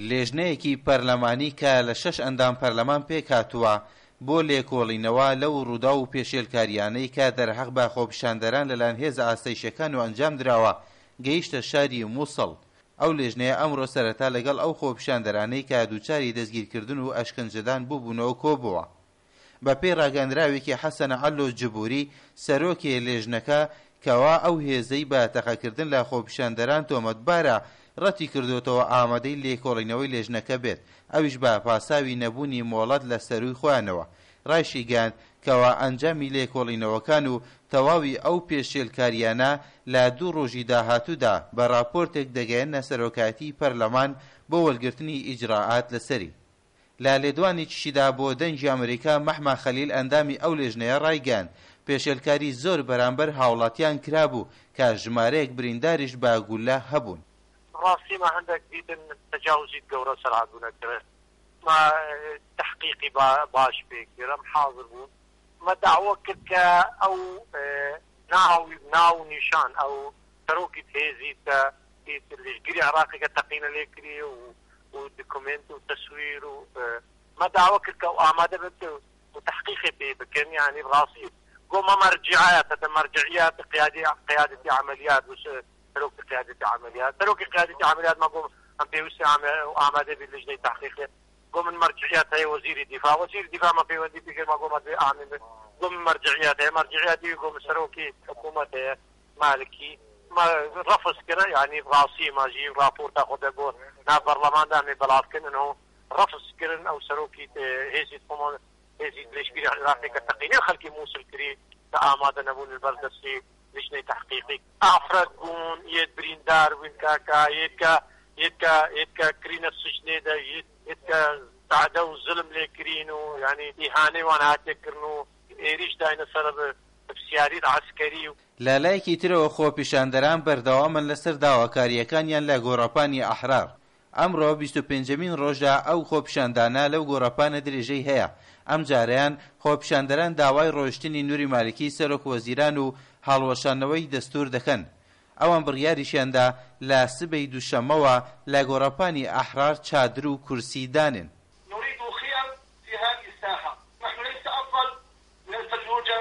لێژنەیەکی پەرلەمانی کە لە شەش ئەندام پەرلەمان پێکهاتووە بۆ لێکۆڵینەوە لەو ڕووداو و پێشێلکارییانەی کە دەرهەق بە خۆپیشاندەران لەلایەن هێزە ئاسایشیەکانەوە ئەنجامدراوە گەیشتە شاری موسڵ. ئەو لێژنەیە ئەمڕۆ سەرەتا لەگەڵ ئەو خۆپیشاندەرانەی کە دووچاری دەستگیرکردن و ئەشکەنجەدان بووبوونەوە کۆبۆوە. بەپێی ڕاگەندراوێکی حەسەن عەلۆ جبوری، سەرۆکێ لێژنەکە، کەوا ئەو هێزەی بە تەقەکردن لە خۆپیشاندەران تۆمەتبارە، ڕەتیکردۆتەوە ئامادەی لێکۆڵینەوەی لێژنەکە بێت، ئەویش بە پاساوی نەبوونی مۆڵەت لە سەرووی خۆیانەوە. ڕایشیگەیاند، کەوا ئەنجامی لێکۆڵینەوەکان و تەواوی ئەو پێشێلکارییانە لە دوو ڕۆژی داهاتوودا بە ڕاپۆرتێک دەگەیەننە سەرۆکایەتیی پەرلەمان بۆ وەرگرتنی ئیجرائات لەسەری. لە لێدوانێکیشیدا بۆ دەنگی ئەمریکا مەحما خەلیل ئەندامی ئەو لێژنەیە ڕایگەیاند، پێشێلکاری زۆر بەرامبەر هاوڵاتیان کرابوو کە ژمارەیەک برینداریش بە گوللە هەبوون. ڕاستی ما هەندەک دیتن تەجاوزیت گەورە سەر هاتبوونە کرن ما تەحقیقی باش پێ کرد ئەم حازر بوون مە دەعوە کرد کە ئەو ناو ناو نیشان ئەو سەرۆکی هێزی کە لشگری عراقی کە تەقینە لێ کری و و دکومێنت و تەسویر و مە داوە کرد کە ئەو ئامادە بێت و تەحقیقی پێ بکەن یانی ڕاستی گۆ مە مەرجعات هەتە مەرجعیات قیادی قیادەتی عەمەلیات و سەرۆکی قیادەتی عەمەلیات سەرۆکی قیادەتی عەمەلیات مە گۆ ئەم پێویستی ئامادە بی لجنەی تەحقیقێ گۆ من مەرجعیات هەیە وەزیری دیفاع وەزیری دیفاع مە پەیوەندی پێ کرد مە گۆ مە ئامین بێت گۆ من مەرجعیات هەیە مەرجعیات گۆ من سەرۆکی حکوومەت هەیە مالکی ما رفض کرا یعنی راسی ما ژی راپۆرتا خۆ دە بۆ نا پەرلەماندا مێ بەلاف کردن و رفض کردن ئەو سەرۆکی هێزی خۆمان هێزی لەشکری عێراقی کە تەقینەی خەلکی موسل کری کە ئامادە نەبوون لەبەر دەستی لجنەی تەحقیقی ئافرەت بوون یەت بریندار بوون کاکا یەت کە یەت کە یەت کە کرینە سجنێ دە یەت یەت کە تەعدە و زلم لێ کرین و یعنی ئیهانەی وان هاتێ کردن و ئێریش داینە سەر پرسیاریت عەسکەری و. لە لایەکی ترەوە خۆپیشاندەران بەردەوامن لەسەر داواکارییەکانیان لە گۆڕەپانی ئەحرار. ئەمڕۆ 25ەمین ڕۆژە ئەو خۆپیشاندانە لەو گۆڕەپانە درێژەی هەیە، ئەمجارەیان خۆپیشاندەران داوای ڕۆیشتنی نوری مالکی سەرۆک وەزیران و هەڵوەشاندنەوەی دەستور دەکەن. ئەوان بڕیاریشیاندا لە سبەی دووشەممەوە لە گۆڕەپانی ئەحرار چادر و کورسی دانێن. نريد خيم في هذه الساحة نحن ليس أفضل من الفلوجة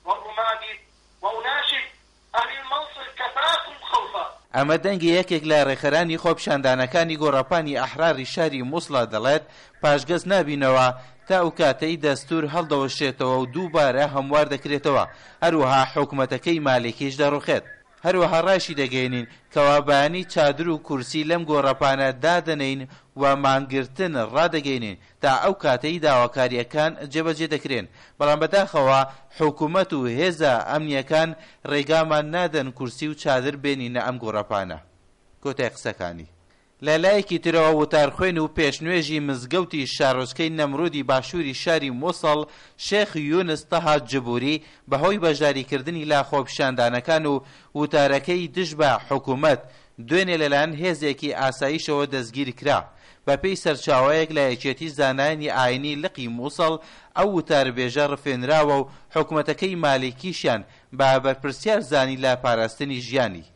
والرمادي وأناشد أهل الموصل كفاكم خوفا. ئەمە دەنگی یەکێک لە ڕێکخەرانی خۆپیشاندانەکانی گۆڕەپانی ئەحراری شاری موسڵە دەڵێت، پاشگەز نابینەوە تا ئەو کاتەی دەستور هەڵدەوەشێتەوە و دووبارە هەموار دەکرێتەوە، هەروەها حکومەتەکەی مالیکیش دەڕوخێت. هەروەها ڕایشیدەگەیەنین کەوا بەیانی چادر و کورسی لەم گۆڕەپانە دادەنێین و مانگرتن ڕادەگەینین تا ئەو کاتەی داواکارییەکان جێبەجێ دەکرێن، بەڵام بەداخەوە حکومەت و هێزە ئەمنییەکان ڕێگامان نادەن کورسی و چادر بێنینە ئەم گۆڕەپانە. کۆتای قسەکانی. لە لایەکی ترەوە وتارخوێن و پێشنوێژی مزگەوتی شارۆچکەی نەمرودی باشووری شاری موسڵ شێخ یونس تەها جبوری بەهۆی بەشداریکردنی لە خۆپیشاندانەکان و وتارەکەی دژ بە حکومەت دوێنێ لەلایەن هێزێکی ئاسایشەوە دەستگیرکرا. بەپێی سەرچاوەیەک لە یەکێتی زانایانی ئاینی لقی موسڵ ئەو وتاربێژە ڕفێنراوە و حکومەتەکەی مالیکیشیان بە بەرپرسیار زانی لە پاراستنی ژیانی.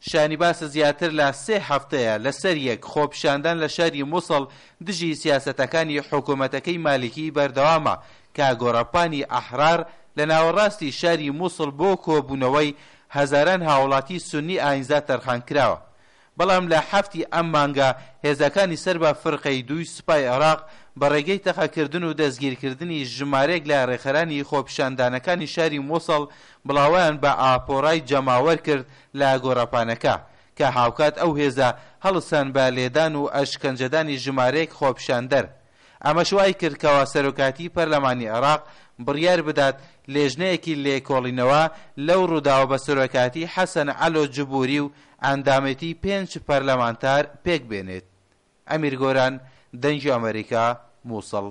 شایانی باسە زیاتر لە سێ هەفتەیە لەسەریەک خۆپیشاندان لە شاری موسڵ دژی سیاسەتەکانی حکومەتەکەی مالیکی بەردەوامە کە گۆڕەپانی ئەحرار لە ناوەڕاستی شاری موسڵ بۆ کۆبوونەوەی هەزاران هاوڵاتی سوننی ئاینزا تەرخانکراوە بەڵام لە حەفتی ئەم مانگە هێزەکانی سەر بە فرقەی دووی سوپای عێراق بە ڕێگەی تەقەکردن و دەستگیرکردنی ژمارەیەک لە ڕێکخەرانی خۆپیشاندانەکانی شاری موسڵ بڵاوەیان بە ئاپۆرای جەماوەر کرد لە گۆڕەپانەکە، کە هاوکات ئەو هێزە هەڵسان بە لێدان و ئەشکەنجەدانی ژمارەیەک خۆپیشاندەر. ئەمەش وایکرد کەوا سەرۆکایەتی پەرلەمانی عێراق بڕیار بدات لێژنەیەکی لێکۆڵینەوە لەو ڕووداوە بە سەرۆکایەتی حەسەن عەلۆ جبوری و ئەندامێتی پێنج پەرلەمانتار پێکبێنێت. ئەمیر گۆران، دەنگی ئەمەریکا، موسڵ.